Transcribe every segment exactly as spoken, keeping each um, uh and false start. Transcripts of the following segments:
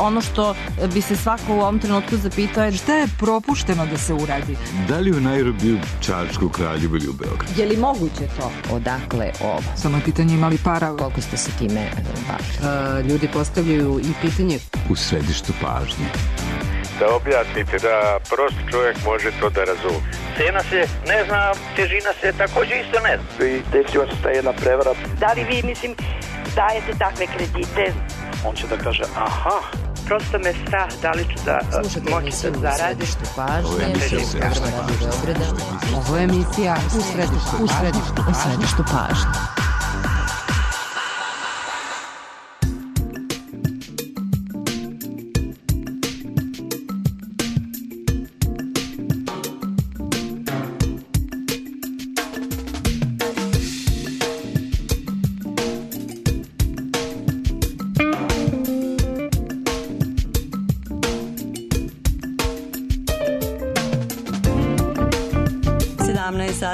ono što bi se svako u ovom trenutku zapitao je šta je propušteno da se uradi? Da li u Nairobiju, Čačku, Kraljevu ili u Beogradu? Je li moguće to? Odakle ovo? Samo je pitanje imali para. Koliko ste se time bavili? Ljudi postavljaju i pitanje u središtu pažnje. Da objasnite, da prosti čovjek može to da razumije. Cena se ne zna, težina se također isto ne zna. I desila se ta jedna prevara. Da li vi, mislim, dajete takve kredite? On će da kaže, aha. Prosto me strah da li ću da moći da zaradim. Ovo je emisija Ovo je emisija u središtu, u središtu, u središtu pažnje.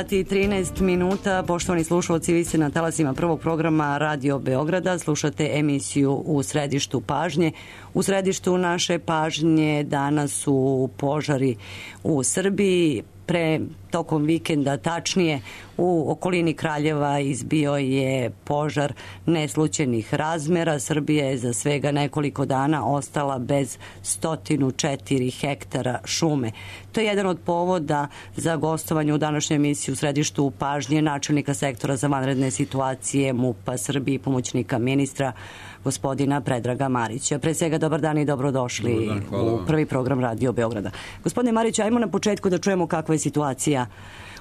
sati i trinaest minuta. Poštovani slušalci, vi ste na talasima prvog programa Radio Beograda. Slušate emisiju U središtu pažnje. U središtu naše pažnje danas su požari u Srbiji. Pre tokom vikenda, tačnije u okolini Kraljeva, izbio je požar neslućenih razmera. Srbija je za svega nekoliko dana ostala bez stotinu četiri hektara šume. To je jedan od povoda za gostovanje u današnjoj emisiji U središtu pažnje načelnika sektora za vanredne situacije MUP-a Srbije i pomoćnika ministra gospodina Predraga Marića. Pre svega, dobar dan i dobrodošli dan, u prvi program Radio Beograda. Gospodine Marić, ajmo na početku da čujemo kakva je situacija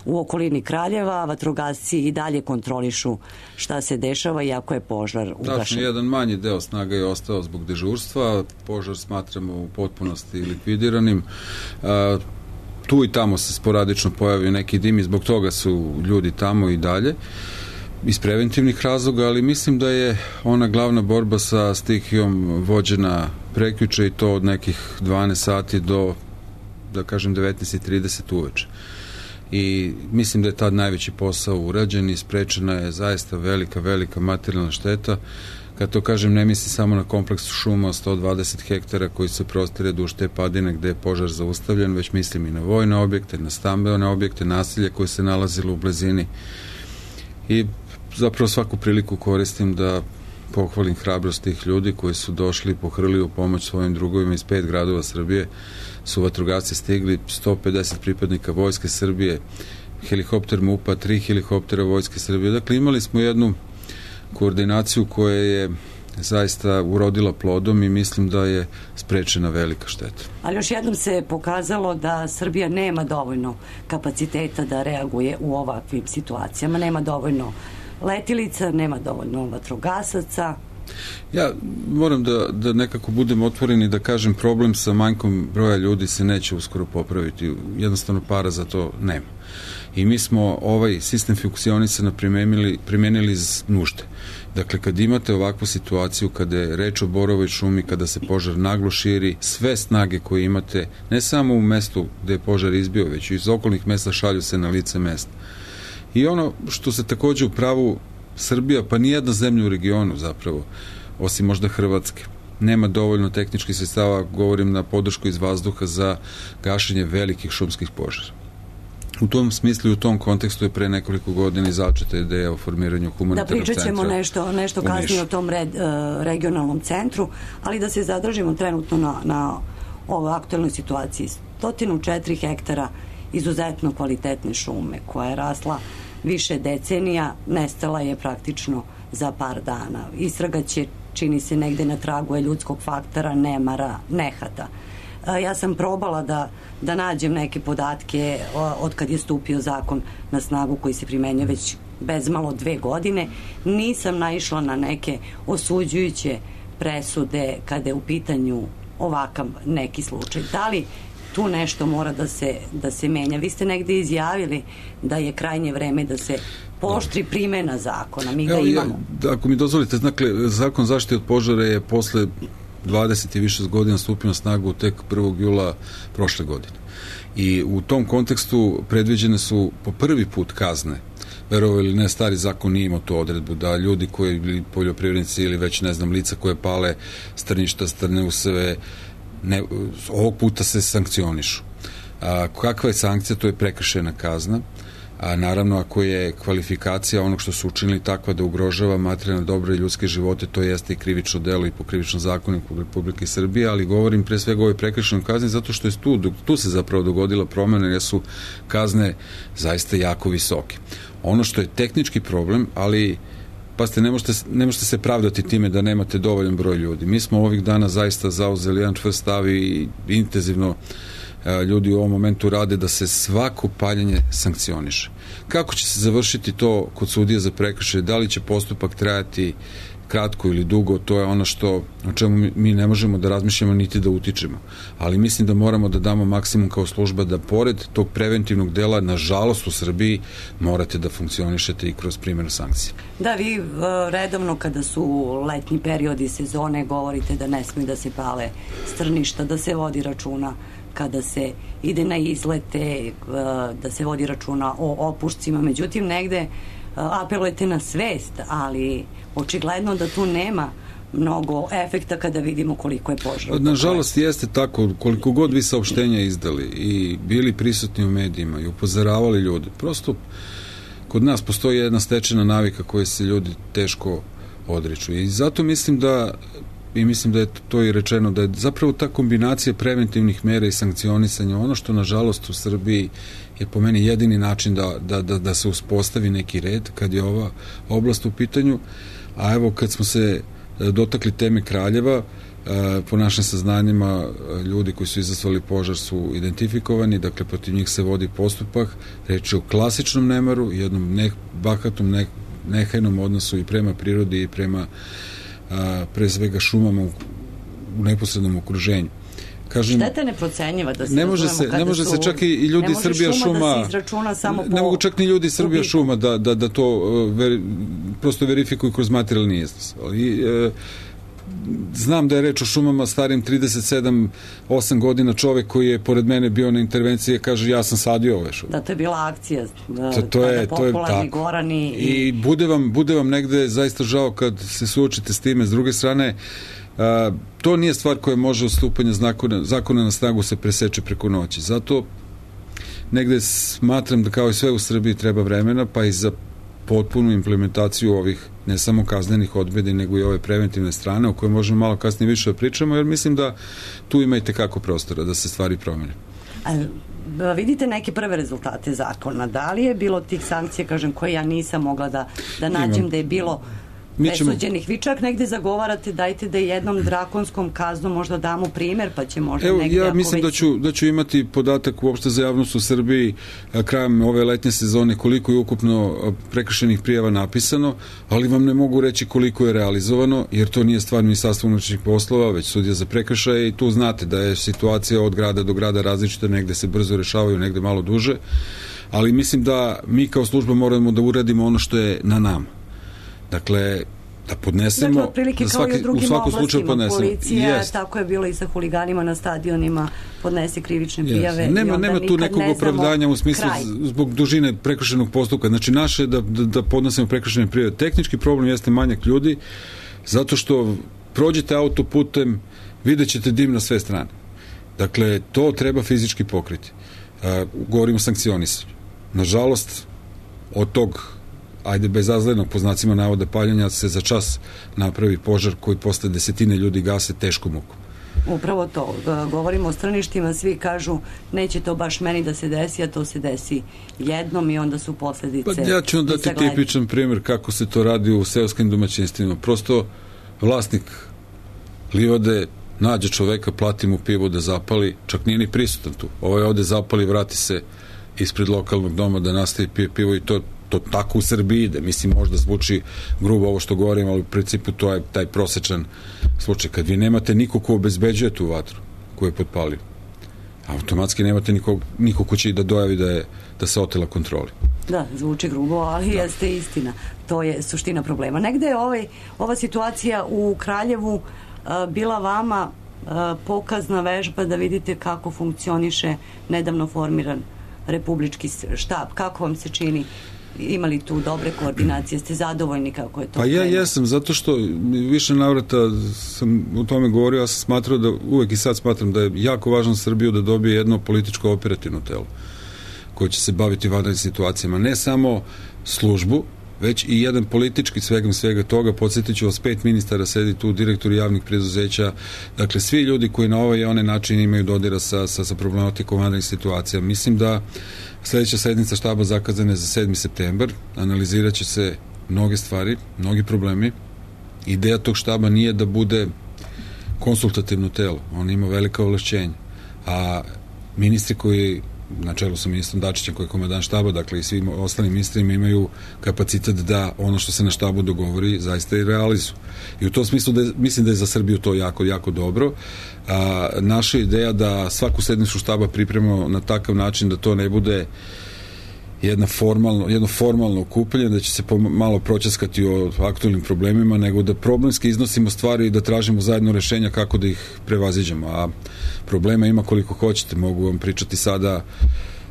u okolini Kraljeva. Vatrogasci i dalje kontrolišu šta se dešava iako je požar ugašen. Tačno, jedan manji deo snaga je ostao zbog dežurstva. Požar smatramo u potpunosti likvidiranim. A, tu i tamo se sporadično pojavio neki dim i zbog toga su ljudi tamo i dalje iz preventivnih razloga, ali mislim da je ona glavna borba sa stihijom vođena prekjuče i to od nekih dvanaest sati do, da kažem, devetnaest i trideset uveče. I mislim da je tad najveći posao urađen i sprečena je zaista velika, velika materijalna šteta. Kad to kažem, ne mislim samo na kompleks šuma od sto dvadeset hektara koji se prostire duž te padine gde je požar zaustavljen, već mislim i na vojne objekte, na stambene objekte, naselje koje se nalazilo u blizini. I zapravo svaku priliku koristim da pohvalim hrabrost tih ljudi koji su došli i pohrlili u pomoć svojim drugovima iz pet gradova Srbije. Su vatrogasci stigli, sto pedeset pripadnika Vojske Srbije, helikopter MUP-a, tri helikoptera Vojske Srbije. Dakle, imali smo jednu koordinaciju koja je zaista urodila plodom i mislim da je sprečena velika šteta. Ali još jednom se pokazalo da Srbija nema dovoljno kapaciteta da reaguje u ovakvim situacijama. Nema dovoljno letilica, nema dovoljno vatrogasaca. Ja moram da, da nekako budem otvoren i da kažem, problem sa manjkom broja ljudi se neće uskoro popraviti. Jednostavno para za to nema. I mi smo ovaj sistem funkcionisanja primenili, primenili iz nužde. Dakle, kad imate ovakvu situaciju, kada je reč o borovoj šumi, kada se požar naglo širi, sve snage koje imate, ne samo u mestu gde je požar izbio, već i iz okolnih mesta šalju se na lice mesta. I ono što se takođe u pravu Srbija, pa nijedna zemlja u regionu zapravo, osim možda Hrvatske, nema dovoljno tehničkih sredstava, govorim na podršku iz vazduha za gašenje velikih šumskih požara. U tom smislu i u tom kontekstu je pre nekoliko godina začeta ideja o formiranju humanitarnog centra. Da, pričat ćemo nešto, nešto kasnije o tom red, uh, regionalnom centru, ali da se zadržimo trenutno na, na ovoj aktualnoj situaciji. sto četiri hektara izuzetno kvalitetne šume koja je rasla više decenija, nestala je praktično za par dana. Istraga će, čini se, negde na tragu je ljudskog faktora, nemara, nehata. Ja sam probala da, da nađem neke podatke od kad je stupio zakon na snagu koji se primenjuje već bezmalo dve godine. Nisam naišla na neke osuđujuće presude kada je u pitanju ovakav neki slučaj. Da li tu nešto mora da se, da se menja? Vi ste negde izjavili da je krajnje vreme da se pooštri primena zakona. Mi ga Evo, imamo. Ja, ako mi dozvolite, dakle, zakon zaštite od požara je posle dvadeset i više godina stupio na snagu tek prvog jula prošle godine. I u tom kontekstu predviđene su po prvi put kazne verovali ili ne, stari zakon nije imao tu odredbu da ljudi koji bili poljoprivrednici ili već ne znam lica koje pale strništa, strne useve, ne, ovog puta se sankcionišu. A, kakva je sankcija? To je prekršajna kazna. A naravno, ako je kvalifikacija onog što su učinili takva da ugrožava materijalne dobra i ljudske živote, to jeste i krivično delo i po krivičnom zakoniku Republike Srbije, ali govorim pre svega o ovoj prekršajnoj kazni zato što je tu, tu se zapravo dogodila promena jer su kazne zaista jako visoke. Ono što je tehnički problem, ali pazite, ne možete, ne možete se pravdati time da nemate dovoljan broj ljudi. Mi smo ovih dana zaista zauzeli jedan čvrst stav i intenzivno ljudi u ovom momentu rade da se svako paljenje sankcioniše. Kako će se završiti to kod sudija za prekršaje, da li će postupak trajati kratko ili dugo, to je ono što o čemu mi ne možemo da razmišljamo niti da utičemo. Ali mislim da moramo da damo maksimum kao služba da pored tog preventivnog dela, nažalost u Srbiji, morate da funkcionišete i kroz primjenu sankcije. Da, vi redovno kada su letnji periodi sezone govorite da ne smije da se pale strništa, da se vodi računa kada se ide na izlete, da se vodi računa o opušcima, međutim negde apelujete na svest, ali očigledno da tu nema mnogo efekta kada vidimo koliko je požara. Nažalost jeste tako, koliko god vi saopštenja izdali i bili prisutni u medijima i upozoravali ljude, prosto kod nas postoji jedna stečena navika koje se ljudi teško odriču i zato mislim da i mislim da je to i rečeno, da je zapravo ta kombinacija preventivnih mera i sankcionisanja ono što nažalost u Srbiji je po meni jedini način da, da, da, da se uspostavi neki red kad je ova oblast u pitanju, a evo kad smo se dotakli teme Kraljeva, po našim saznanjima ljudi koji su izazvali požar su identifikovani, dakle protiv njih se vodi postupak, reč je o klasičnom nemaru, jednom ne, bahatom ne, nehajnom odnosu i prema prirodi i prema a, pre svega šumama u, u neposrednom okruženju. Kažem, šteta neprocenjiva da se ne može se, ne može su, se čak i ljudi Srbija šuma, šuma da se izračuna samo ne, ne mogu čak ni ljudi Srbija ubiku. Šuma da, da, da to veri, prosto verifikuju kroz materijalni iznos. Ali e, znam da je reč o šumama starim trideset sedam osam godina, čovek koji je pored mene bio na intervenciji kaže ja sam sadio ove šume. Da, to je bila akcija da, to, to je, to je tako. Gorani i... I bude vam, bude vam negde zaista žao kad se suočite s time. S druge strane, a, to nije stvar koja može od stupanja zakona, zakona na snagu se preseče preko noći. Zato negde smatram da kao i sve u Srbiji treba vremena, pa i za potpunu implementaciju ovih ne samo kaznenih odredbi, nego i ove preventivne strane o kojoj možemo malo kasnije više da pričamo, jer mislim da tu ima i tekako prostora da se stvari promene. A, vidite neke prve rezultate zakona. Da li je bilo tih sankcija, kažem, koje ja nisam mogla da, da nađem Imam. da je bilo presuđenih? Vi čak negde zagovarate, dajte da jednom drakonskom kaznom možda damo primer, pa će možda Evo, negde... Ja mislim da ću, da ću imati podatak uopšte za javnost u Srbiji krajem ove letnje sezone koliko je ukupno prekršenih prijava napisano, ali vam ne mogu reći koliko je realizovano, jer to nije stvar Ministarstva unutrašnjih poslova, već sudija za prekršaje i tu znate da je situacija od grada do grada različita, negde se brzo rešavaju, negde malo duže, ali mislim da mi kao služba moramo da uradimo ono što je na nama. Dakle, da podnesemo, dakle, otprilike da svaki, kao i u drugim u svakom slučaju podnesemo. Policija, Jest. tako je bilo i sa huliganima na stadionima, podnese krivične prijave. Yes. Nema, nema tu nekog opravdanja u smislu kraj. Zbog dužine prekršajnog postupka. Znači, naše je da, da, da podnesemo prekršajne prijave. Tehnički problem jeste manjak ljudi, zato što prođete autoputem, vidjet ćete dim na sve strane. Dakle, to treba fizički pokriti. Uh, govorimo o sankcionisanju. Nažalost, od tog ajde bezazlenog po znacima navoda paljanja se za čas napravi požar koji posle desetine ljudi gase teškom mukom. Upravo to. Govorimo o straništima, svi kažu neće to baš meni da se desi, a to se desi jednom i onda su posledice. Pa ja ću dati tipičan primjer kako se to radi u seoskim domaćinstvima. Prosto vlasnik livade nađe čoveka, plati mu pivo da zapali, čak nije ni prisutan tu. Ovaj ode zapali, vrati se ispred lokalnog doma da nastavi pije pivo i to to tako u Srbiji ide. Mislim, možda zvuči grubo ovo što govorim, ali u principu to je taj prosečan slučaj. Kad vi nemate nikog ko obezbeđuje tu vatru koju je potpalio, automatski nemate nikog, nikog ko će da dojavi da, je, da se otela kontroli. Da, zvuči grubo, ali da. Jeste istina. To je suština problema. Negde je ovaj, ova situacija u Kraljevu a, bila vama a, pokazna vežba da vidite kako funkcioniše nedavno formiran republički štab. Kako vam se čini imali tu dobre koordinacije? Ste zadovoljni kako je to? Pa ja krenuo? Jesam, zato što više navrata sam u tome govorio, ja sam smatrao da, uvek i sad smatram da je jako važno za Srbiju da dobije jedno političko operativno telo koje će se baviti vanrednim situacijama. Ne samo službu, već i jedan politički svega svega toga. Podsjetit ću vas, pet ministara sedi tu, direktori javnih preduzeća, dakle svi ljudi koji na ovaj i onaj način imaju dodira sa, sa, sa problematikom vanrednih situacija. Mislim da sledeća sednica štaba zakazana je za sedmi septembar, analizirat će se mnoge stvari, mnogi problemi. Ideja tog štaba nije da bude konsultativno telo, on ima velika ovlašćenja, a ministri koji na čelu sa ministrom Dačićem koji je komandant štaba, dakle i svim ostalim ministrima imaju kapacitet da ono što se na štabu dogovori zaista i realizuju. I u tom smislu da je, mislim da je za Srbiju to jako, jako dobro. A, naša ideja da svaku sednicu štaba pripremamo na takav način da to ne bude jedna formalno, jedno formalno okupljanje, da će se malo proćaskati o aktualnim problemima, nego da problemski iznosimo stvari i da tražimo zajedno rešenja kako da ih prevaziđemo. A problema ima koliko hoćete. Mogu vam pričati sada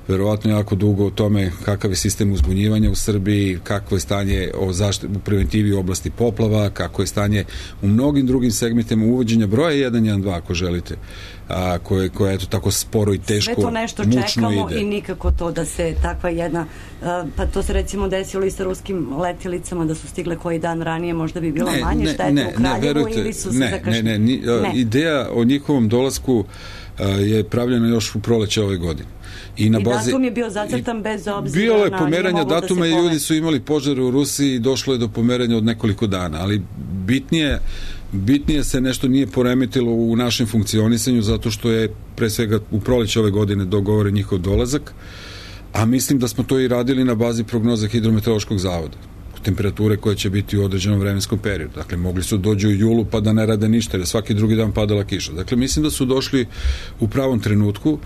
verovatno jako dugo o tome kakav je sistem uzbunjivanja u Srbiji, kakvo je stanje o zaštiti, u preventivi u oblasti poplava, kako je stanje u mnogim drugim segmentima uvođenja broja jedan jedan dva ako želite, a, koje, koje eto tako sporo i teško, sve to nešto čekamo ide. I nikako to da se takva jedna, pa to se recimo desilo i sa ruskim letjelicama da su stigle koji dan ranije, možda bi bilo ne, manje štete u Kraljevu, verujte, ili su se ne, zakašli? Ne, ne, ni, ne. Ideja o njihovom dolasku je pravljena još u proleće ove godine. I, na I bazi, datum je bio zacrtan bez obzira bilo je na... pomeranja datuma da i ljudi su imali požare u Rusiji i došlo je do pomeranja od nekoliko dana, ali bitnije, bitnije se nešto nije poremetilo u našem funkcionisanju zato što je pre svega u proleće ove godine dogovoren njihov dolazak, a mislim da smo to i radili na bazi prognoza Hidrometeorološkog zavoda, temperature koje će biti u određenom vremenskom periodu. Dakle, mogli su dođu u julu pa da ne rade ništa, jer svaki drugi dan padala kiša. Dakle, mislim da su došli u pravom trenutku.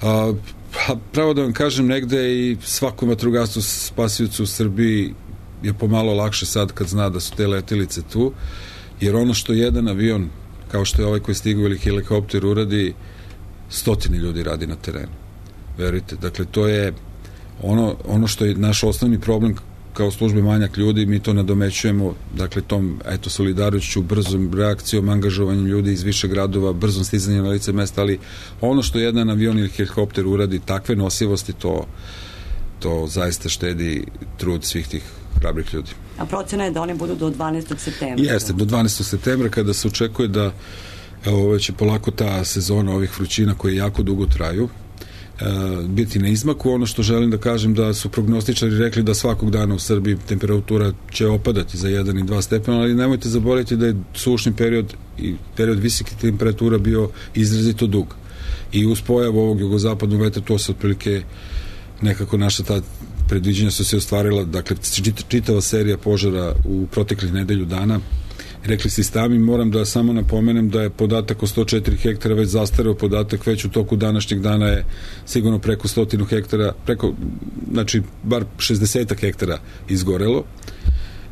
A, pa, pravo da vam kažem, negde i svakom vatrogascu spasiocu u Srbiji je pomalo lakše sad kad zna da su te letelice tu, jer ono što jedan avion, kao što je ovaj koji stigu ili helikopter uradi, stotine ljudi radi na terenu. Verujte, dakle, to je ono, ono što je naš osnovni problem kao službe manjak ljudi, mi to nadomećujemo, dakle, tom, eto, solidarnošću, brzom reakcijom, angažovanjem ljudi iz više gradova, brzom stizanjem na lice mesta, ali ono što jedan avion ili helikopter uradi, takve nosivosti, to, to zaista štedi trud svih tih hrabrih ljudi. A procena je da oni budu do dvanaestog septembra? Jeste, do dvanaestog septembra, kada se očekuje da, evo, već je polako ta sezona ovih vrućina koje jako dugo traju, biti na izmaku. Ono što želim da kažem da su prognostičari rekli da svakog dana u Srbiji temperatura će opadati za jedan i dva stepena, ali nemojte zaboraviti da je sušni period i period visokih temperatura bio izrazito dug. I uz pojavu ovog jugozapadnog vetra to se otprilike nekako naša ta predviđenja su se ostvarila, dakle čitava serija požara u proteklih nedelju dana. Rekli si sami, moram da samo napomenem da je podatak o sto četiri hektara već zastareo podatak, već u toku današnjeg dana je sigurno preko stotinu hektara, preko, znači, bar šezdeset hektara izgorelo.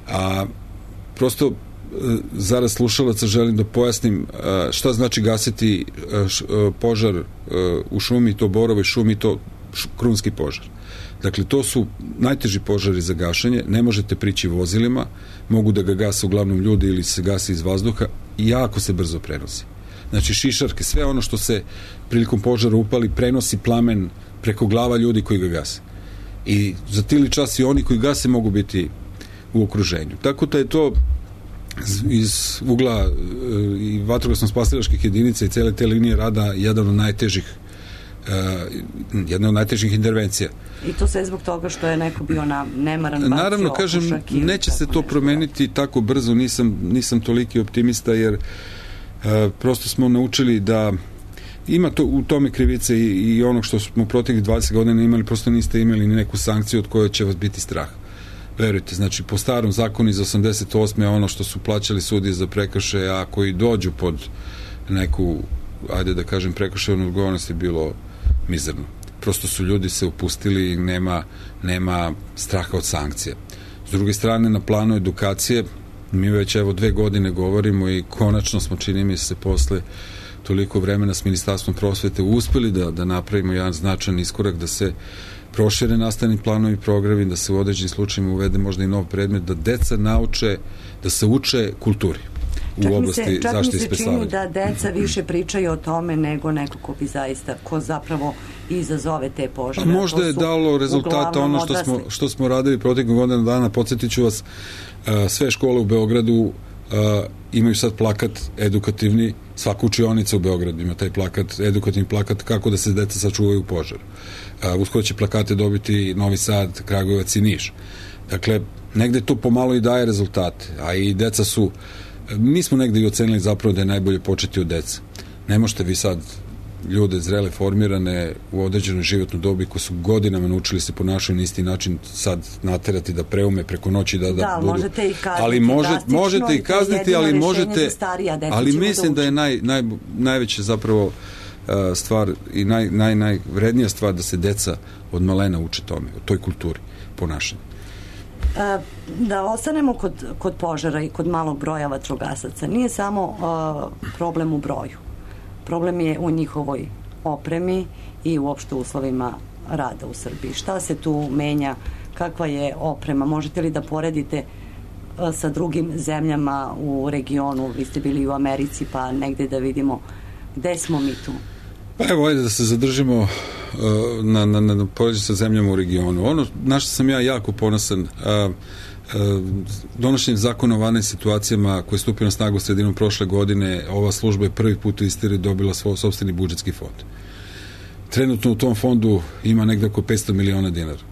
A prosto zarad slušalaca želim da pojasnim šta znači gasiti požar u šumi, to borovoj šumi, to krunski požar. Dakle, to su najteži požari za gašenje, ne možete prići vozilima, mogu da ga gase uglavnom ljudi ili se gasi iz vazduha i jako se brzo prenosi. Znači, šišarke, sve ono što se prilikom požara upali, prenosi plamen preko glava ljudi koji ga gase. I za tili čas i oni koji gase mogu biti u okruženju. Tako da je to iz ugla i vatrogasno-spasilačkih jedinica i cele te linije rada jedan od najtežih Uh, jedna od najtežih intervencija. I to sve zbog toga što je neko bio na nemaran bacio. Naravno, kažem, neće se to promeniti tako brzo, nisam, nisam toliki optimista, jer uh, prosto smo naučili da ima to, u tome krivice i, i onog što smo proteklih dvadeset godina imali, prosto niste imali ni neku sankciju od koje će vas biti strah. Verujte, znači, po starom zakonu iz osamdeset osme ono što su plaćali sudije za prekršaje, a koji dođu pod neku, ajde da kažem, prekršajnu odgovornost je bilo mizerno. Prosto su ljudi se upustili i nema, nema straha od sankcije. S druge strane, na planu edukacije, mi već evo dve godine govorimo i konačno smo, čini mi se, posle toliko vremena s Ministarstvom prosvete uspeli da, da napravimo jedan značajan iskorak, da se prošire nastavni planovi i programi, da se u određenim slučajima uvede možda i nov predmet, da deca nauče, da se uče kulturi u oblasti zaštite i spasavanja. Čak mi se čini da deca više pričaju o tome nego neko ko bi zaista, ko zapravo izazove te požare. Možda je dalo rezultata ono što smo, što smo radili proteklih godina dana. Podsjetit ću vas, sve škole u Beogradu imaju sad plakat edukativni, svaka učionica u Beogradu ima taj plakat, edukativni plakat kako da se deca sačuvaju u požaru. Uskoro će plakate dobiti Novi Sad, Kragujevac i Niš. Dakle, negde to pomalo i daje rezultate, a i deca su, mi smo negde i ocenili zapravo da je najbolje početi od deca. Ne možete vi sad ljude zrele, formirane u određenoj životnoj dobi koji su godinama naučili se ponašaju na isti način sad naterati da preume preko noći da, da, da budu. Možete ih kazniti, ali može, možete ih kazniti, ali možete, ali mislim da je naj, naj, najveća zapravo uh, stvar i naj, naj, najvrednija stvar da se deca od malena uče tome, o toj kulturi ponašanja. Da ostanemo kod, kod požara i kod malog broja vatrogasaca. Nije samo uh, problem u broju. Problem je u njihovoj opremi i uopšte uslovima rada u Srbiji. Šta se tu menja? Kakva je oprema? Možete li da poredite uh, sa drugim zemljama u regionu? Vi ste bili u Americi, pa negde da vidimo gde smo mi tu. Pa evo, ajde da se zadržimo uh, na, na, na poređenju sa zemljama u regionu. Ono na što sam ja jako ponosan, uh, uh, donošenjem zakona o vanrednim situacijama koji je stupio na snagu sredinom prošle godine, ova služba je prvi put u istoriji dobila svoj sopstveni budžetski fond. Trenutno u tom fondu ima negde oko petsto miliona dinara.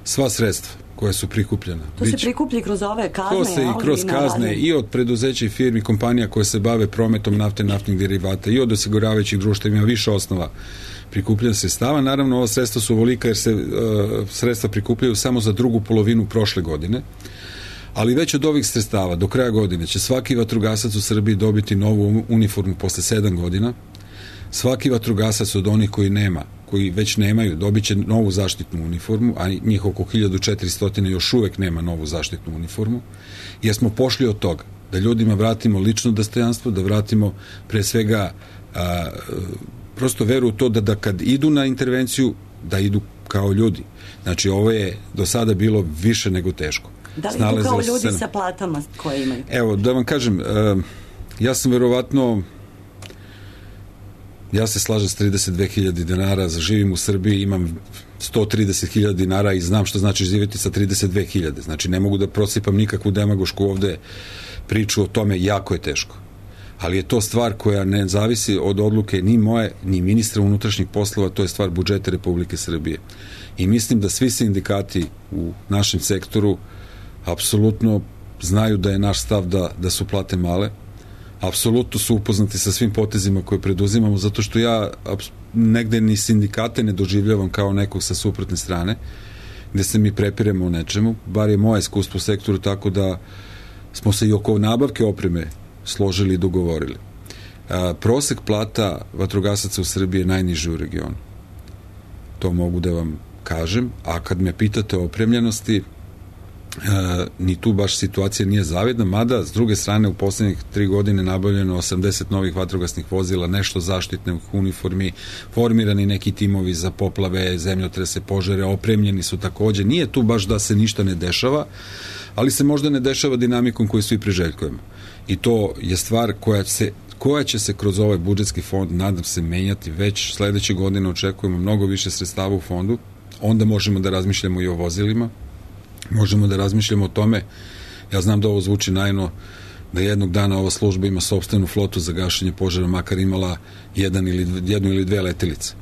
Sva sredstva koja su prikupljena. To se prikuplji kroz ove kazne. To se i kroz kazne i od preduzeća i firmi, kompanija koje se bave prometom nafte, naftnih derivata i od osiguravajućih društva, ima više osnova prikupljanja sredstava. Naravno, ova sredstva su ovolika jer se uh, sredstva prikupljaju samo za drugu polovinu prošle godine, ali već od ovih sredstava do kraja godine će svaki vatrogasac u Srbiji dobiti novu uniformu posle sedam godina. Svaki vatrogasac od onih koji nema, koji već nemaju, dobit će novu zaštitnu uniformu, a njih oko hiljadu četiristo još uvek nema novu zaštitnu uniformu, jer smo pošli od toga da ljudima vratimo lično dostojanstvo, da vratimo pre svega a, prosto veru u to da, da kad idu na intervenciju, da idu kao ljudi. Znači, ovo je do sada bilo više nego teško. Da li idu kao ljudi se... sa platama koje imaju? Evo, da vam kažem, a, ja sam verovatno ja se slažem s trideset dve hiljade dinara, živim u Srbiji, imam sto trideset hiljada dinara i znam što znači živjeti sa trideset dve hiljade. Znači, ne mogu da prosipam nikakvu demagošku ovde priču o tome, jako je teško. Ali je to stvar koja ne zavisi od odluke ni moje, ni ministra unutrašnjih poslova, to je stvar budžeta Republike Srbije. I mislim da svi sindikati u našem sektoru apsolutno znaju da je naš stav da, da su plate male, apsolutno su upoznati sa svim potezima koje preduzimamo, zato što ja negde ni sindikate ne doživljavam kao nekog sa suprotne strane, gde se mi prepiremo o nečemu, bar je moje iskustvo u sektoru tako da smo se i oko nabavke opreme složili i dogovorili. A, prosek plata vatrogasaca u Srbiji je najniži u regionu. To mogu da vam kažem, a kad me pitate o opremljenosti, Uh, ni tu baš situacija nije zavidna, mada s druge strane u poslednjih tri godine nabavljeno osamdeset novih vatrogasnih vozila, nešto zaštitnih uniformi, formirani neki timovi za poplave, zemljotrese, požare, opremljeni su takođe. Nije tu baš da se ništa ne dešava, ali se možda ne dešava dinamikom koju svi priželjkujemo. I to je stvar koja se koja će se kroz ovaj budžetski fond, nadam se, menjati već sledeće godine. Očekujemo mnogo više sredstava u fondu, onda možemo da razmišljamo i o vozilima, možemo da razmišljamo o tome. Ja znam da ovo zvuči naivno, da jednog dana ova služba ima sopstvenu flotu za gašenje požara, makar imala jedan ili, jednu ili dve letelice.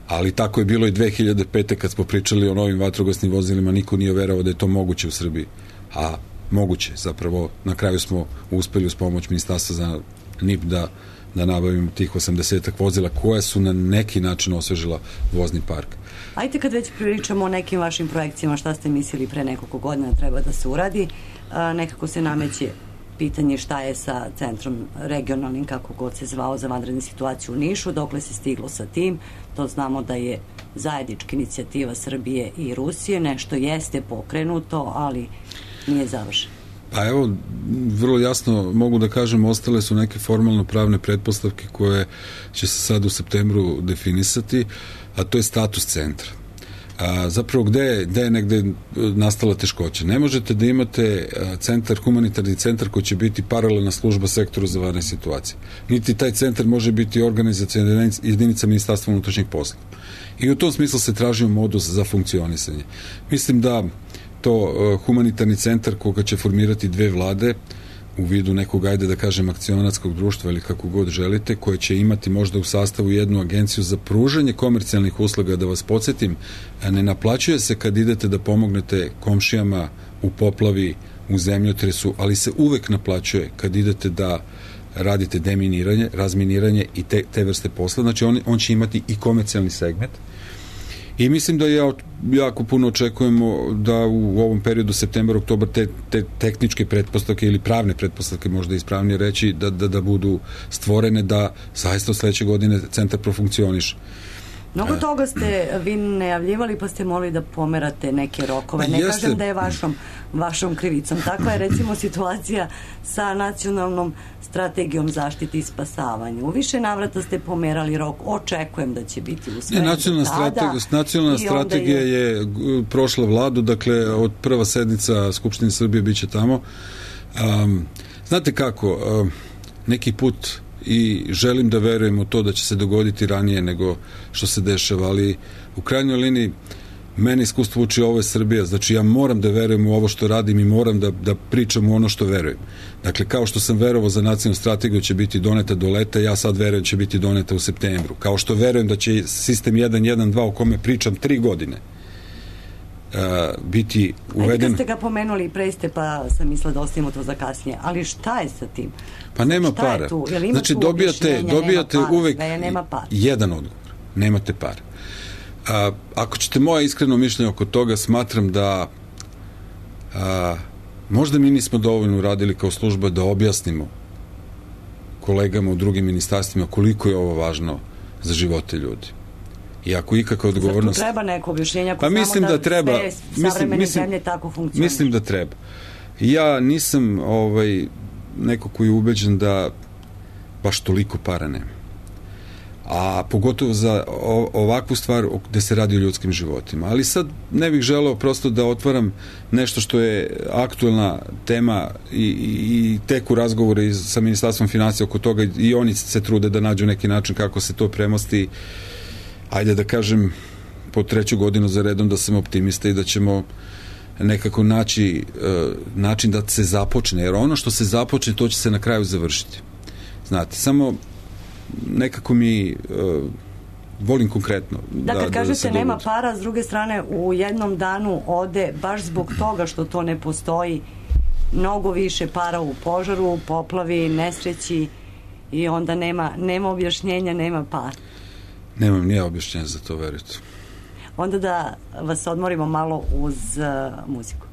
Ali tako je bilo i dve hiljade pete kad smo pričali o novim vatrogasnim vozilima, niko nije verovao da je to moguće u Srbiji. A moguće, zapravo na kraju smo uspeli uz pomoć Ministarstva za N I P da, da nabavimo tih osamdesetak vozila koja su na neki način osvežila vozni park. Ajde, kad već pričamo o nekim vašim projekcijama, šta ste mislili pre nekoliko godina treba da se uradi, a, nekako se nameće pitanje šta je sa centrom regionalnim, kako god se zvao, za vanredne situacije u Nišu, dokle se stiglo sa tim. To znamo da je zajednička inicijativa Srbije i Rusije, nešto jeste pokrenuto, ali nije završeno. Pa evo, vrlo jasno mogu da kažem, ostale su neke formalno pravne pretpostavke koje će se sad u septembru definisati, a to je status centra. A, zapravo gde je, gde je negde nastala teškoća? Ne možete da imate centar, humanitarni centar koji će biti paralelna služba sektoru za vanredne situacije. Niti taj centar može biti organizacijona jedinica Ministarstva unutrašnjih poslova. I u tom smislu se tražio modus za funkcionisanje. Mislim da to uh, humanitarni centar koga će formirati dve vlade u vidu nekog, ajde da kažem, akcionarskog društva ili kako god želite, koje će imati možda u sastavu jednu agenciju za pružanje komercijalnih usluga. Da vas podsjetim, ne naplaćuje se kad idete da pomognete komšijama u poplavi, u zemljotresu, ali se uvek naplaćuje kad idete da radite deminiranje, razminiranje i te, te vrste posla. Znači on, on će imati i komercijalni segment. I mislim da ja jako puno očekujemo da u ovom periodu septembar, oktobar te, te tehničke pretpostavke ili pravne pretpostavke, možda ispravnije reći, da, da, da budu stvorene da zaista od sledeće godine centar profunkcioniše. Mnogo toga ste vi najavljivali, pa ste molili da pomerate neke rokove. Ne Jeste. kažem da je vašom, vašom krivicom. Takva je recimo situacija sa nacionalnom strategijom zaštite i spasavanja. U više navrata ste pomerali rok. Očekujem da će biti usvojen. Ne, nacionalna strategija, nacionalna strategija je... je prošla vladu, dakle od prva sednica Skupštine Srbije biće tamo. Um, znate kako, um, neki put i želim da verujem u to da će se dogoditi ranije nego što se dešava, ali u krajnjoj liniji mene iskustvo uči, ovo je Srbija, znači ja moram da verujem u ovo što radim i moram da, da pričam u ono što verujem. Dakle, kao što sam verovao za nacionalnu strategiju će biti doneta do leta, ja sad verujem će biti doneta u septembru. Kao što verujem da će sistem jedan jedan dva o kome pričam tri godine Uh, biti uveden. Ajde, kad ste ga pomenuli pre ste, pa sam mislila da ostavimo to za kasnije, ali šta je sa tim? Pa nema šta para. Znači dobijate, dobijate para, uvek nema para. Jedan odgovor. Nemate para. Uh, ako ćete moje iskreno mišljenje oko toga, smatram da uh, možda mi nismo dovoljno uradili kao služba da objasnimo kolegama u drugim ministarstvima koliko je ovo važno za živote ljudi. I ako ikakva odgovornost... Zato treba neko objašnjenje, ako pa mislim da, da treba, sve savremene mislim, zemlje tako funkcioniš. Mislim da treba. Ja nisam ovaj, neko koji je ubeđen da baš toliko para nema. A pogotovo za ovakvu stvar gde se radi o ljudskim životima. Ali sad ne bih želeo prosto da otvaram nešto što je aktuelna tema i, i teku razgovore sa Ministarstvom finansija oko toga i oni se trude da nađu neki način kako se to premosti. Ajde da kažem, po treću godinu za redom da sam optimista i da ćemo nekako naći uh, način da se započne, jer ono što se započne, to će se na kraju završiti. Znate, samo nekako mi uh, volim konkretno. Da, kad da, kažete da nema para, s druge strane u jednom danu ode, baš zbog toga što to ne postoji, mnogo više para u požaru, poplavi, nesreći i onda nema, nema objašnjenja, nema para. Nemam nije objašnjenja za to, verujte. Onda da vas odmorimo malo uz uh, muziku.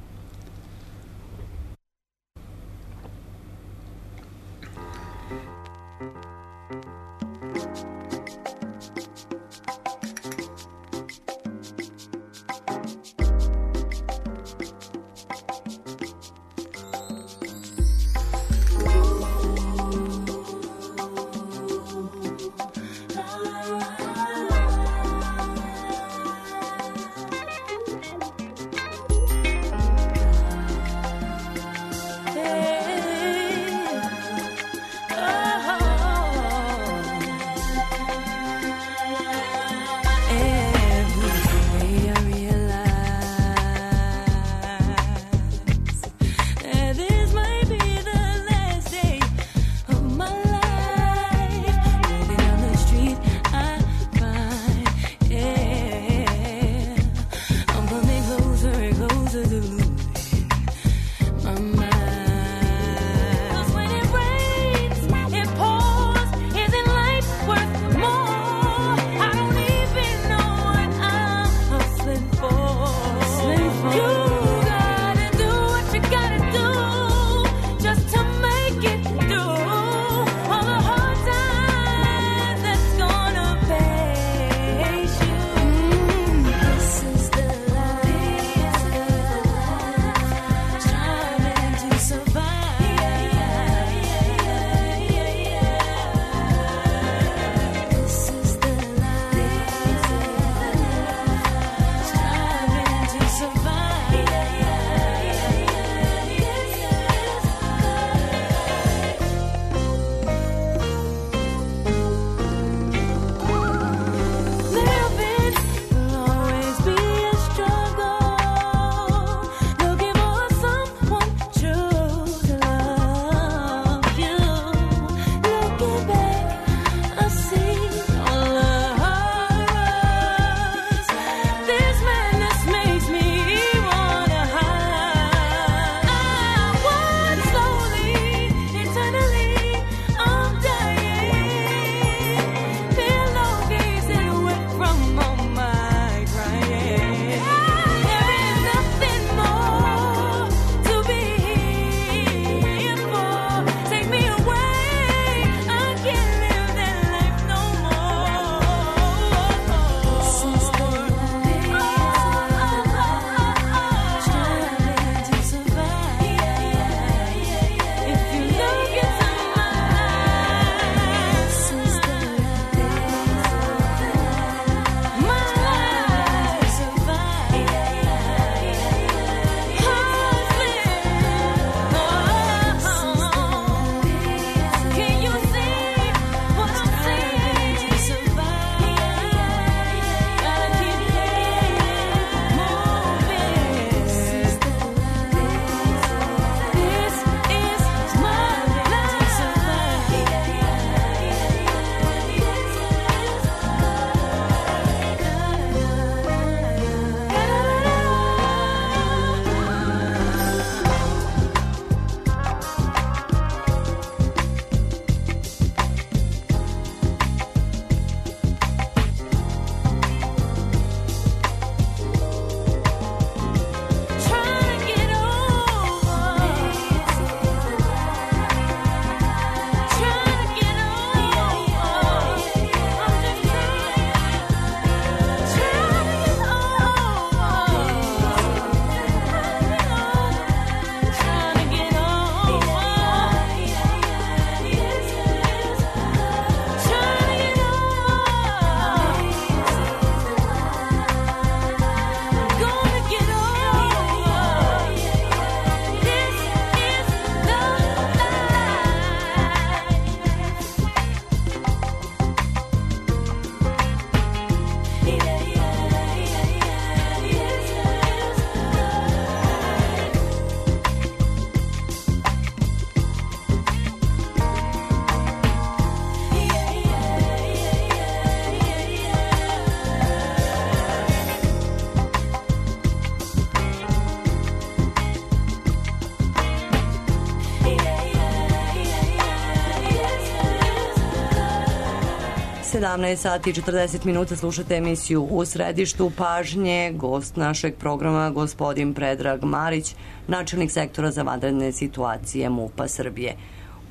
sedamnaest sati i četrdeset minuta, slušate emisiju U središtu pažnje. Gost našeg programa, gospodin Predrag Marić, načelnik sektora za vanredne situacije MUP-a Srbije.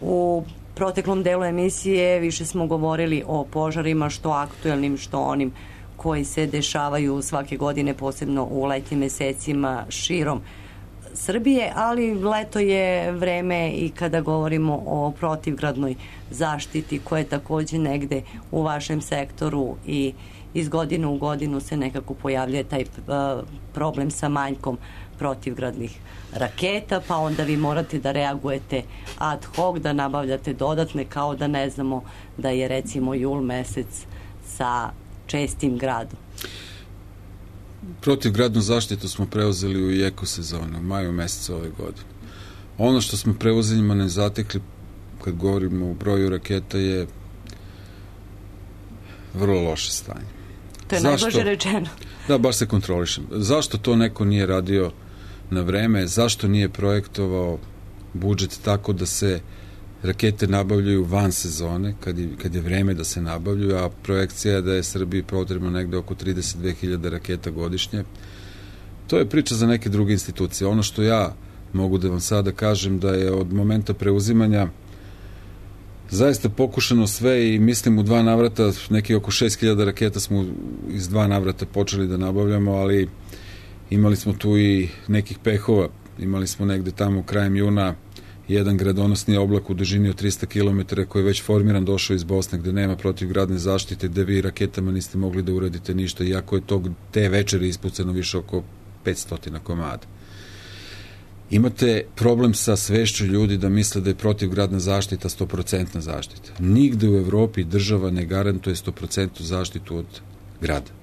U proteklom delu emisije više smo govorili o požarima, što aktuelnim, što onim koji se dešavaju svake godine, posebno u letnjim mesecima širom Srbije, ali leto je vreme i kada govorimo o protivgradnoj zaštiti, koja je takođe negde u vašem sektoru i iz godine u godinu se nekako pojavljuje taj uh, problem sa manjkom protivgradnih raketa, pa onda vi morate da reagujete ad hoc, da nabavljate dodatne, kao da ne znamo da je recimo jul mesec sa čestim gradom. Protivgradnu zaštitu smo preuzeli u jeku sezonu, u maju mesecu ove godine. Ono što smo preuzimima ne zatekli, kad govorimo o broju raketa, je vrlo loše stanje. To je najbolje rečeno. Da, baš se kontrolišem. Zašto to neko nije radio na vreme? Zašto nije projektovao budžet tako da se rakete nabavljaju van sezone, kad je, kad je vreme da se nabavljaju, a projekcija je da je Srbiji potrebno negde oko trideset dve hiljade raketa godišnje. To je priča za neke druge institucije. Ono što ja mogu da vam sada kažem, da je od momenta preuzimanja zaista pokušano sve i mislim u dva navrata, neki oko šest hiljada raketa smo iz dva navrata počeli da nabavljamo, ali imali smo tu i nekih pehova. Imali smo negde tamo krajem juna jedan gradonosni oblak u dužini od trista kilometara koji je već formiran, došao iz Bosne, gde nema protivgradne zaštite, gde vi raketama niste mogli da uradite ništa, iako je tog, te večeri ispucano više oko petsto komada. Imate problem sa svešću ljudi da misle da je protivgradna zaštita sto posto zaštita. Nigde u Evropi država ne garantuje sto posto zaštitu od grada.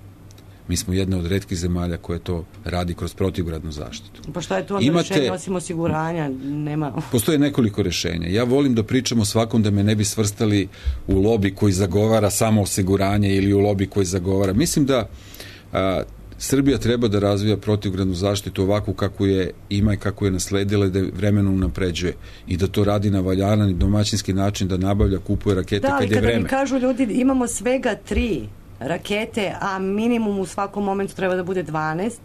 Mi smo jedna od retkih zemalja koja to radi kroz protivgradnu zaštitu. Pa šta je to onda Imate, rešenje osim osiguranja? Nema... Postoje nekoliko rešenja. Ja volim da pričam o svakom, da me ne bi svrstali u lobi koji zagovara samo osiguranje ili u lobi koji zagovara. Mislim da a, Srbija treba da razvija protivgradnu zaštitu ovakvu kako je ima i kako je nasledila i da vremenu unapređuje i da to radi na valjaran i domaćinski način, da nabavlja, kupuje rakete da, kad je vreme. Da, ali kada mi kažu ljudi imamo svega tri rakete, a minimum u svakom momentu treba da bude dvanaest,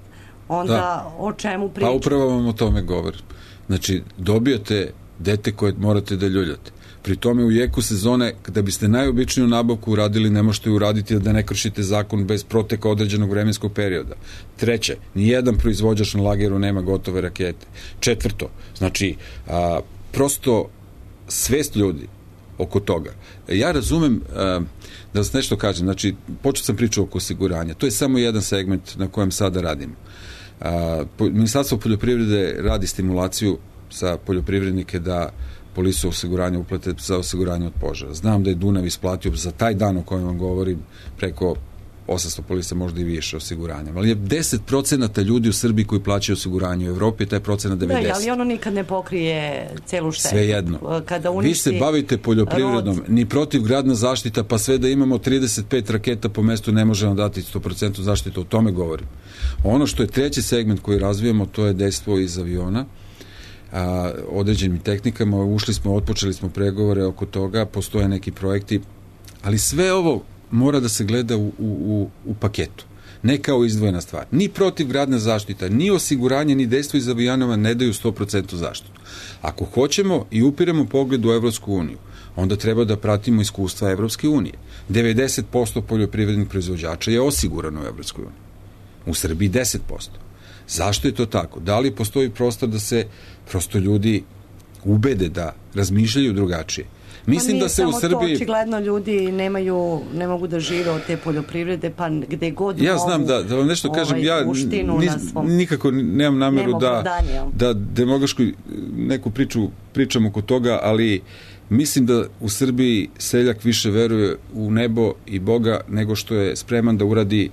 onda da. O čemu pričam? Pa upravo vam o tome govorim. Znači, dobijate dete koje morate da ljuljate. Pri tome u jeku sezone, da biste najobičniju nabavku uradili, ne možete uraditi da ne kršite zakon bez proteka određenog vremenskog perioda. Treće, nijedan proizvođač na lageru nema gotove rakete. Četvrto, znači, a, prosto svest ljudi oko toga. Ja razumem, a, da vas nešto kažem, znači, počeo sam priču oko osiguranja. To je samo jedan segment na kojem sada radimo. A, po, Ministarstvo poljoprivrede radi stimulaciju za poljoprivrednike da polisu osiguranja uplate za osiguranje od požara. Znam da je Dunav isplatio za taj dan o kojem vam govorim preko osamsto polisa, možda i više osiguranja. Ali je deset procenata ljudi u Srbiji koji plaćaju osiguranje. U Evropi je taj procenat devedeset. Da, ali ono nikad ne pokrije celu štetu. Sve jedno. Kada vi se bavite poljoprivredom, rod... ni protivgradna zaštita, pa sve da imamo trideset pet raketa po mestu ne možemo dati sto posto zaštitu. O tome govorim. Ono što je treći segment koji razvijamo, to je dejstvo iz aviona. A, određenim tehnikama, ušli smo, otpočeli smo pregovore oko toga, postoje neki projekti, ali sve ovo mora da se gleda u, u, u paketu, ne kao izdvojena stvar. Ni protivgradna zaštita, ni osiguranje, ni dejstvo iz avijanova ne daju sto posto zaštitu. Ako hoćemo i upiramo pogled u Evropsku uniju, onda treba da pratimo iskustva Evropske unije. devedeset posto poljoprivrednih proizvođača je osigurano u Evropskoj uniji. U Srbiji deset posto. Zašto je to tako? Da li postoji prostor da se prosto ljudi ubede da razmišljaju drugačije? Mislim da se u Srbiji... Pa nije samo to, očigledno ljudi nemaju, ne mogu da žive od te poljoprivrede, pa gde god ja znam da, da vam nešto ovaj, kažem, ja nis, nikako nemam nameru da, da demagošku neku priču pričam oko toga, ali mislim da u Srbiji seljak više veruje u nebo i Boga nego što je spreman da uradi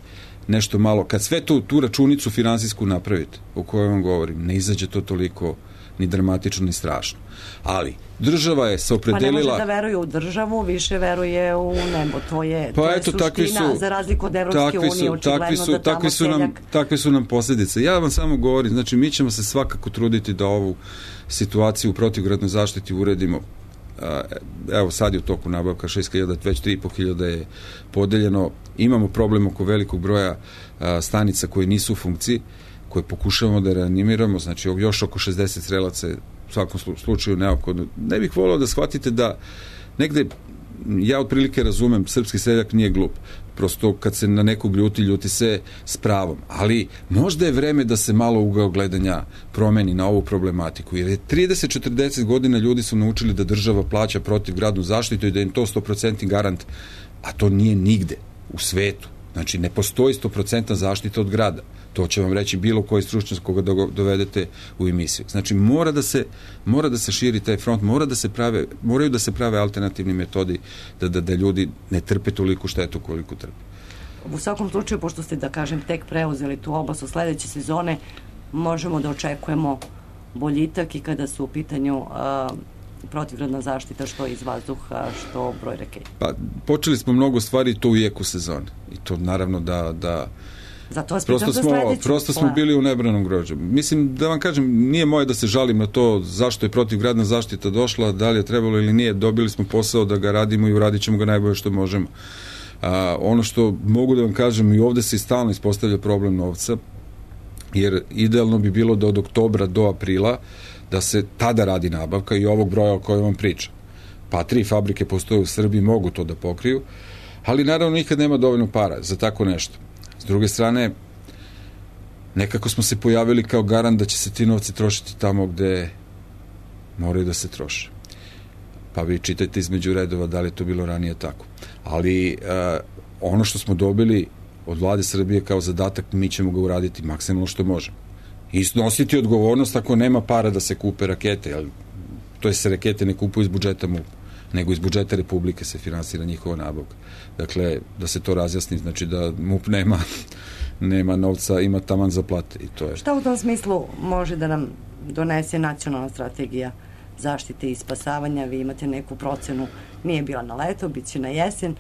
nešto malo. Kad sve tu, tu računicu finansijsku napravite, o kojoj vam govorim, ne izađe to toliko ni dramatično, ni strašno. Ali, država je se opredelila... Pa ne može da veruje u državu, više veruje u nebo. To je, pa to je eto, suština, su, za razliku od Evropske unije, očigledno su, da tamo su nam, seljak... Takve su nam posljedice. Ja vam samo govorim, znači mi ćemo se svakako truditi da ovu situaciju u protivgradnoj zaštiti uredimo evo sad je u toku nabavka šest hiljada, već tri i po hiljada je podeljeno. Imamo problem oko velikog broja stanica koje nisu u funkciji, koje pokušavamo da reanimiramo, znači još oko šezdeset strelaca je u svakom slučaju neophodno. Ne bih volao da shvatite da negde, ja otprilike razumem, srpski seljak nije glup, prosto kad se na nekog ljuti, ljuti se s pravom, ali možda je vreme da se malo ugao gledanja promeni na ovu problematiku, jer je trideset do četrdeset godina ljudi su naučili da država plaća protivgradnu zaštitu i da im to sto posto garant, a to nije nigde u svetu. Znači, ne postoji sto posto zaštita od grada. To će vam reći bilo koji stručnjak koga dovedete u emisiju. Znači, mora da se, mora da se širi taj front, mora da se prave, moraju da se prave alternativni metodi da, da, da ljudi ne trpe toliko štetu koliko trpe. U svakom slučaju, pošto ste, da kažem, tek preuzeli tu oblast od sledeće sezone, možemo da očekujemo boljitak i kada su u pitanju a, protivgradna zaštita, što iz vazduha, što broj raketa. Pa, počeli smo mnogo stvari to u jeku sezone. I to naravno da, da Zato vas prosto pitam smo, za sledeću. prosto smo bili u nebranom grožđu. Mislim, da vam kažem, nije moje da se žalim na to zašto je protivgradna zaštita došla, da li je trebalo ili nije, dobili smo posao da ga radimo i uradit ćemo ga najbolje što možemo. A, ono što mogu da vam kažem, i ovde se i stalno ispostavlja problem novca, jer idealno bi bilo da od oktobra do aprila da se tada radi nabavka i ovog broja o kojem vam pričam. Pa tri fabrike postoje u Srbiji, mogu to da pokriju, ali naravno nikad nema dovoljno para za tako nešto. S druge strane, nekako smo se pojavili kao garant da će se ti novci trošiti tamo gde moraju da se troše. Pa vi čitajte između redova da li je to bilo ranije tako. Ali uh, ono što smo dobili od vlade Srbije kao zadatak, mi ćemo ga uraditi maksimalno što možemo. I snositi odgovornost ako nema para da se kupe rakete, jer to je se rakete ne kupuju iz budžeta M U P, nego iz budžeta Republike se finansira njihova nabavka. Dakle, da se to razjasni, znači da M U P nema, nema novca, ima taman za plate. I to je. Šta u tom smislu može da nam donese nacionalna strategija zaštite i spasavanja? Vi imate neku procenu, nije bila na leto, bit će na jesen,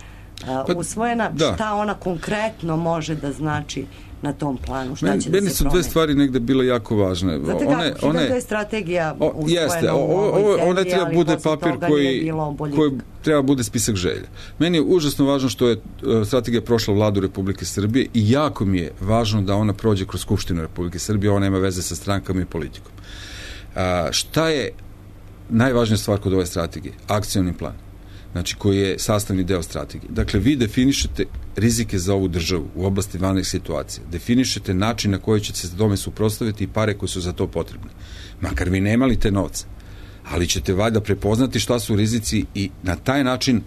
pa, usvojena. Da. Šta ona konkretno može da znači na tom planu? Šta Men, će da se promeni? Meni su dve stvari negde bile jako važne. Znate one, kako, one, da je strategija o, usvojena jeste, u ovoj zemlji, ona treba bude papir koji, koji treba bude spisak želja. Meni je užasno važno što je uh, strategija prošla vladu Republike Srbije i jako mi je važno da ona prođe kroz Skupštinu Republike Srbije, ona nema veze sa strankama i politikom. Uh, šta je najvažnija stvar kod ove strategije? Akcioni plan. Znači, koji je sastavni deo strategije. Dakle, vi definišete rizike za ovu državu u oblasti vanrednih situacija. Definišete način na koji ćete se tome suprotstaviti i pare koje su za to potrebne. Makar vi nemali te novce. Ali ćete valjda prepoznati šta su rizici i na taj način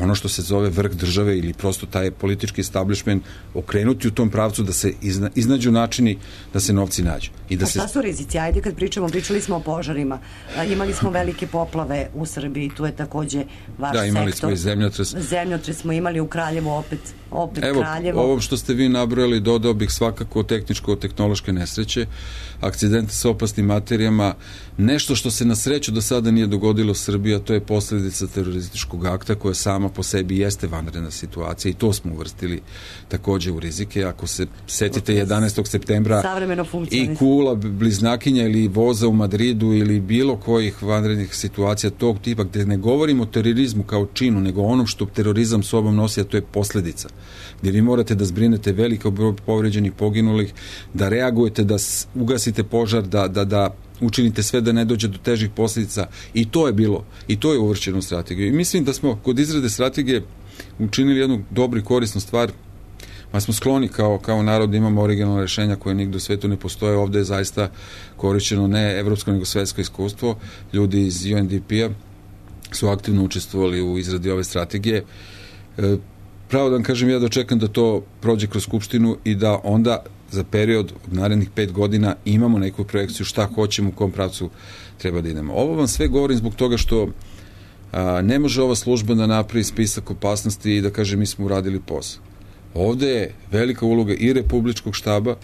ono što se zove vrh države ili prosto taj politički establishment okrenuti u tom pravcu da se izna, iznađu načini da se novci nađu. I da A šta se... su rizici? Ajde kad pričamo, pričali smo o požarima. A, imali smo velike poplave u Srbiji, tu je takođe vaš sektor. Da, imali sektor. Smo i zemljotres. Zemljotres smo imali u Kraljevu, opet, opet Evo, Kraljevo. Evo, ovo što ste vi nabrojali, dodao bih svakako tehničko-tehnološke nesreće, akcidente sa opasnim materijama, nešto što se na sreću do sada nije dogodilo u Srbiji, a to je posledica terorističkog akta koja sama po sebi jeste vanredna situacija i to smo uvrstili takođe u rizike. Ako se setite jedanaestog septembra i kula bliznakinja ili voza u Madridu ili bilo kojih vanrednih situacija tog tipa, gde ne govorimo o terorizmu kao činu, nego onom što terorizam sobom nosi, a to je posledica. Gde vi morate da zbrinete veliko broj povređenih, poginulih, da reagujete, da ugasite požar, da, da, da učinite sve da ne dođe do težih posljedica i to je bilo, i to je uvršćeno u strategiju. I mislim da smo kod izrade strategije učinili jednu dobru i korisnu stvar, pa smo skloni kao, kao narod da imamo originalne rešenja koje nigde u svetu ne postoje. Ovde je zaista korišćeno ne evropsko nego svetsko iskustvo. Ljudi iz U N D P-a su aktivno učestvovali u izradi ove strategije. E, pravo da vam kažem, ja dočekam da to prođe kroz Skupštinu i da onda za period od narednih pet godina imamo neku projekciju šta hoćemo, u kom pravcu treba da idemo. Ovo vam sve govorim zbog toga što a, ne može ova služba da napravi spisak opasnosti i da kaže mi smo uradili posao. Ovde je velika uloga i Republičkog štaba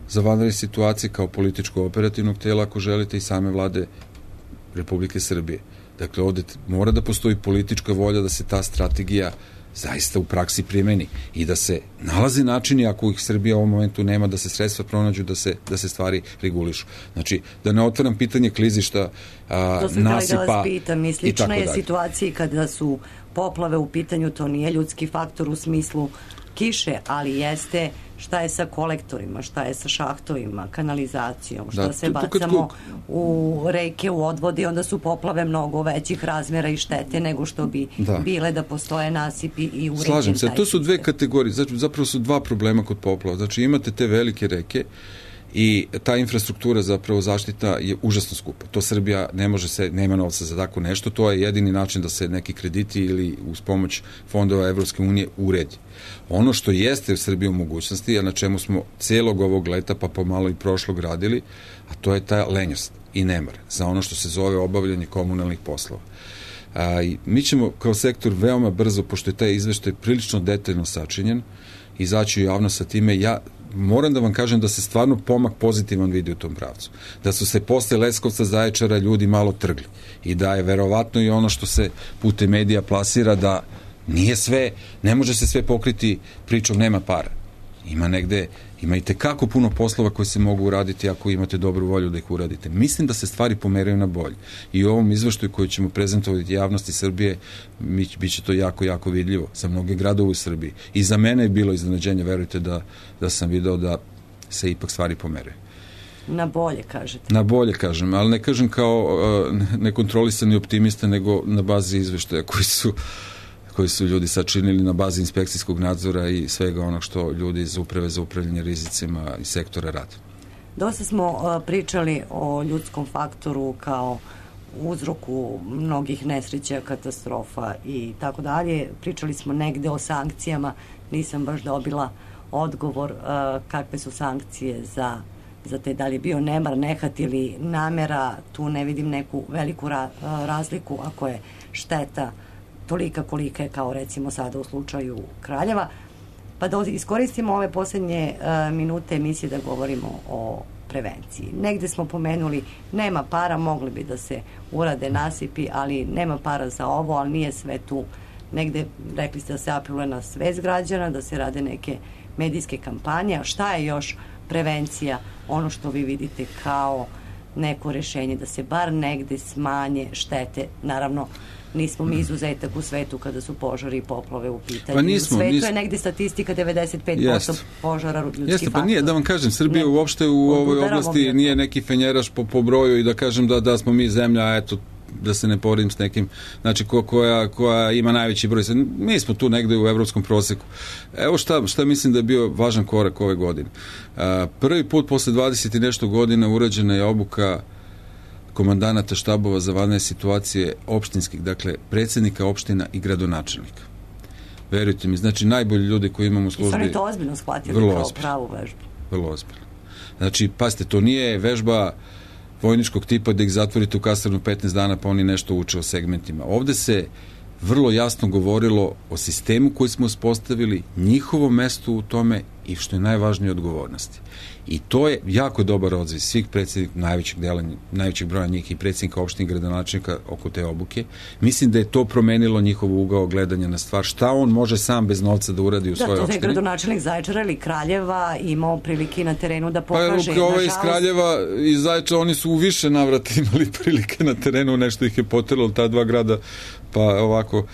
za vanredne situacije kao političko-operativnog tela, ako želite, i same vlade Republike Srbije. Dakle, ovde mora da postoji politička volja da se ta strategija zaista u praksi primeni i da se nalaze načini, ako ih Srbija u ovom momentu nema, da se sredstva pronađu, da se, da se stvari regulišu. Znači, da ne otvaram pitanje klizišta, a, to sam nasipa da vas pitam, i slična je dalje. Situaciji kada su poplave u pitanju, to nije ljudski faktor u smislu kiše, ali jeste šta je sa kolektorima, šta je sa šahtovima, kanalizacijom, šta da, se to, bacamo u reke, u odvode i onda su poplave mnogo većih razmjera i štete nego što bi da. bile da postoje nasipi i uređen. Slažem se, to su dve kategorije, zapravo su dva problema kod poplava. Znači imate te velike reke i ta infrastruktura, zapravo zaštita, je užasno skupa. To Srbija ne može se, nema novca za tako nešto, to je jedini način da se neki krediti ili uz pomoć fondova Evropske unije uredi. Ono što jeste u Srbiji u mogućnosti, a na čemu smo celog ovog leta pa pomalo i prošlog radili, a to je ta lenjost i nemar za ono što se zove obavljanje komunalnih poslova. A, i mi ćemo kao sektor veoma brzo, pošto je taj izveštaj prilično detaljno sačinjen, izaći u javnost sa time. Ja moram da vam kažem da se stvarno pomak pozitivan vidi u tom pravcu. Da su se posle Leskovca, Zaječara ljudi malo trgli i da je verovatno i ono što se putem medija plasira da nije sve, ne može se sve pokriti pričom nema para. Ima negde, ima i tekako puno poslova koji se mogu uraditi ako imate dobru volju da ih uradite. Mislim da se stvari pomeraju na bolje. I u ovom izveštaju koji ćemo prezentovati javnosti Srbije, bit će to jako, jako vidljivo za mnoge gradove u Srbiji. I za mene je bilo iznenađenje, verujte da, da sam video da se ipak stvari pomeraju. Na bolje, kažete. Na bolje, kažem, ali ne kažem kao uh, nekontrolisani optimista, nego na bazi izveštaja koji su koji su ljudi sačinili na bazi inspekcijskog nadzora i svega onog što ljudi iz uprave za upravljanje rizicima i sektora rade. Dosta smo uh, pričali o ljudskom faktoru kao uzroku mnogih nesreća, katastrofa i tako dalje. Pričali smo negde o sankcijama, nisam baš dobila odgovor uh, kakve su sankcije za, za te, da li je bio nemar, nehat ili namera. Tu ne vidim neku veliku ra, uh, razliku ako je šteta tolika kolika je kao recimo sada u slučaju Kraljeva. Pa da iskoristimo ove posljednje uh, minute emisije da govorimo o prevenciji. Negde smo pomenuli nema para, mogli bi da se urade nasipi, ali nema para za ovo, ali nije sve tu. Negde rekli ste da se apeluje na svest građana, da se rade neke medijske kampanje. Šta je još prevencija, ono što vi vidite kao neko rešenje, da se bar negde smanje štete? Naravno, nismo mi izuzetak u svetu kada su požari i poplove u pitanju. Pa nismo, u svetu nismo. je negde statistika devedeset pet posto Jest. požara ljudski Jeste, faktor. Pa nije, da vam kažem, Srbija ne, uopšte u ovoj oblasti nije neki fenjeraš po, po broju i da kažem da, da smo mi zemlja, eto, da se ne poredim s nekim, znači ko, koja, koja ima najveći broj. Mi smo tu negde u evropskom proseku. Evo šta, šta mislim da je bio važan korak ove godine. Uh, prvi put posle dvadeset i nešto godina urađena je obuka komandanata štabova za vanredne situacije opštinskih, dakle predsjednika opština i gradonačelnika. Verujte mi, znači najbolji ljudi koji imamo u službi. I su oni to ozbiljno shvatili kao pravu vežbu. Vrlo ozbiljno. Znači, pazite, to nije vežba vojničkog tipa da ih zatvorite u kasarnu petnaest dana pa oni nešto uče o segmentima. Ovde se vrlo jasno govorilo o sistemu koji smo uspostavili, njihovom mestu u tome i što je najvažnije odgovornosti. I to je jako dobar odziv svih predsjednika, najvećeg dela, najvećeg broja njih i predsjednika opštine gradonačelnika oko te obuke. Mislim da je to promenilo njihov ugao gledanja na stvar. Šta on može sam bez novca da uradi u da, svojoj opštini? Da, to je gradonačelnik Zaječara ili Kraljeva imao prilike na terenu da pokaže. Pa ovaj iz Kraljeva i Zaječara, oni su u više navrata imali prilike na terenu, nešto ih je poteralo ta dva grada, pa ovako.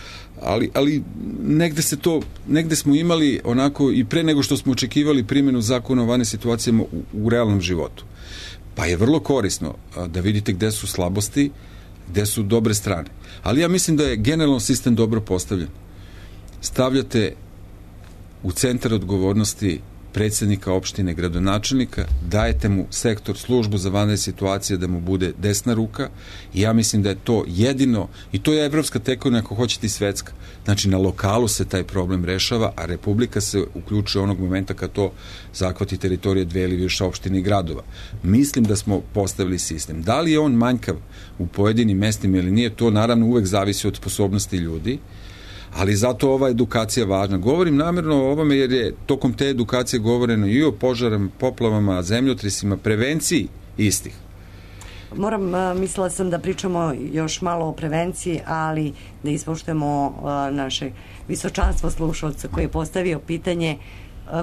Ali, ali negde se to, negde smo imali onako i pre nego što smo očekivali primjenu zakona o vanrednim situacijama u, u realnom životu. Pa je vrlo korisno da vidite gde su slabosti, gde su dobre strane. Ali ja mislim da je generalno sistem dobro postavljen. Stavljate u centar odgovornosti predsjednika opštine, gradonačelnika, dajete mu sektor, službu za vanredne situacije da mu bude desna ruka i ja mislim da je to jedino, i to je evropska tekovina ako hoćete i svetska. Znači na lokalu se taj problem rešava, a Republika se uključuje onog momenta kad to zahvati teritorije dve ili više opštine i gradova. Mislim da smo postavili sistem. Da li je on manjkav u pojedinim mestima ili nije, to naravno uvek zavisi od sposobnosti ljudi, ali zato ova edukacija važna. Govorim namjerno o ovome jer je tokom te edukacije govoreno i o požarama, poplavama, zemljotresima, prevenciji istih. Moram, mislila sam da pričamo još malo o prevenciji, ali da ispoštujemo naše visočanstvo slušalca koji je postavio pitanje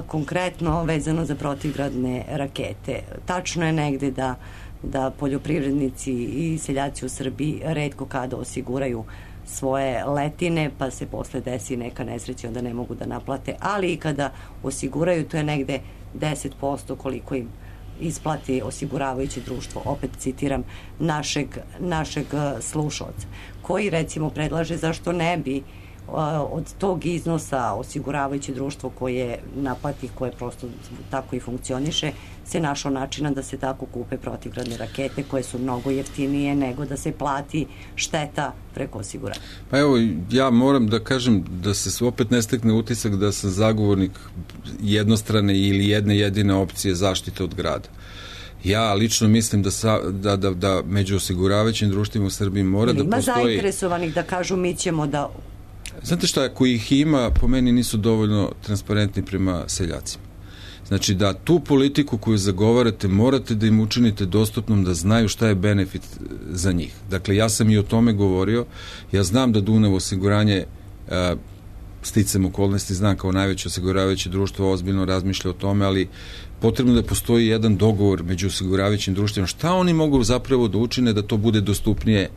konkretno vezano za protivgradne rakete. Tačno je negde da, da poljoprivrednici i seljaci u Srbiji retko kada osiguraju svoje letine, pa se posle desi neka nesreća, onda ne mogu da naplate, ali i kada osiguraju, to je negde deset posto koliko im isplati osiguravajuće društvo, opet citiram našeg, našeg slušalca, koji recimo predlaže zašto ne bi od tog iznosa osiguravajuće društvo koje naplati, koje prosto tako i funkcioniše, se našao načina da se tako kupe protivgradne rakete koje su mnogo jeftinije nego da se plati šteta preko osiguranja. Pa evo, ja moram da kažem da se opet ne stekne utisak da sam zagovornik jednostrane ili jedne jedine opcije zaštite od grada. Ja lično mislim da, sa, da, da, da među osiguravajućim društvima u Srbiji mora da postoji... Ima zainteresovanih da kažu mi ćemo da... Znate šta, ako ih ima, po meni nisu dovoljno transparentni prema seljacima. Znači da tu politiku koju zagovarate morate da im učinite dostupnom, da znaju šta je benefit za njih. Dakle, ja sam i o tome govorio. Ja znam da Dunav osiguranje, a, sticam okolnosti, znam kao najveće osiguravajuće društvo ozbiljno razmišlja o tome, ali potrebno da postoji jedan dogovor među osiguravajućim društvima. Šta oni mogu zapravo da učine da to bude dostupnije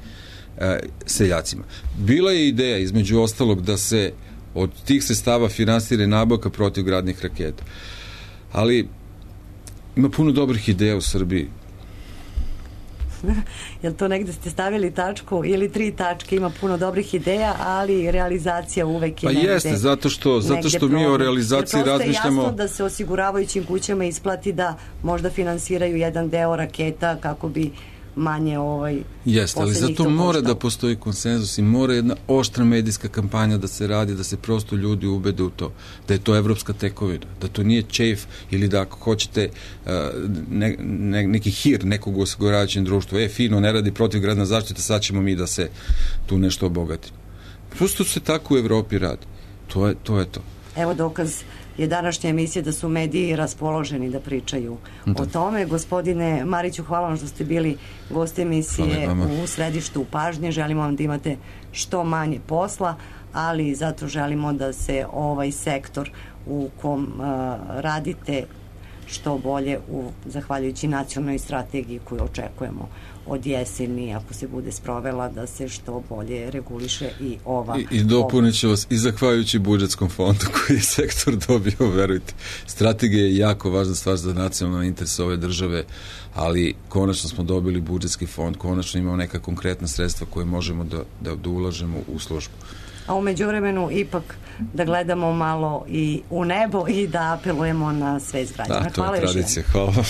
a, seljacima? Bila je ideja, između ostalog, da se od tih sredstava finansira nabavka protivgradnih raketa. Ali ima puno dobrih ideja u Srbiji. Jel to negde ste stavili tačku ili tri tačke, ima puno dobrih ideja, ali realizacija uvek je pa negde. Pa jeste, zato što, zato što mi o realizaciji razmišljamo... Jer prosto je jasno da se osiguravajućim kućama isplati da možda finansiraju jedan deo raketa kako bi manje ovaj... Jeste, ali zato mora da postoji konsenzus i mora jedna oštra medijska kampanja da se radi, da se prosto ljudi ubede u to, da je to evropska tekovina, da to nije čejf ili da ako hoćete ne, ne, neki hir nekog osiguravajućeg društva, e, fino, ne radi protivgradna zaštita, sad ćemo mi da se tu nešto obogatimo. Prosto se tako u Evropi radi. To je to. Je to. Evo dokaz je današnja emisija da su mediji raspoloženi da pričaju da. o tome. Gospodine Mariću, hvala vam što ste bili gost emisije u središtu pažnje. Želimo vam da imate što manje posla, ali zato želimo da se ovaj sektor u kom uh, radite što bolje u, zahvaljujući nacionalnoj strategiji koju očekujemo od jeseni, ako se bude sprovela, da se što bolje reguliše i ova... I, i dopunit ću vas i zahvaljujući budžetskom fondu koji je sektor dobio, verujte. Strategija je jako važna stvar za nacionalni interes ove države, ali konačno smo dobili budžetski fond, konačno imamo neka konkretna sredstva koje možemo da, da, da ulažemo u službu. A u međuvremenu ipak da gledamo malo i u nebo i da apelujemo na svest građana. Da, to je tradicija. Hvala.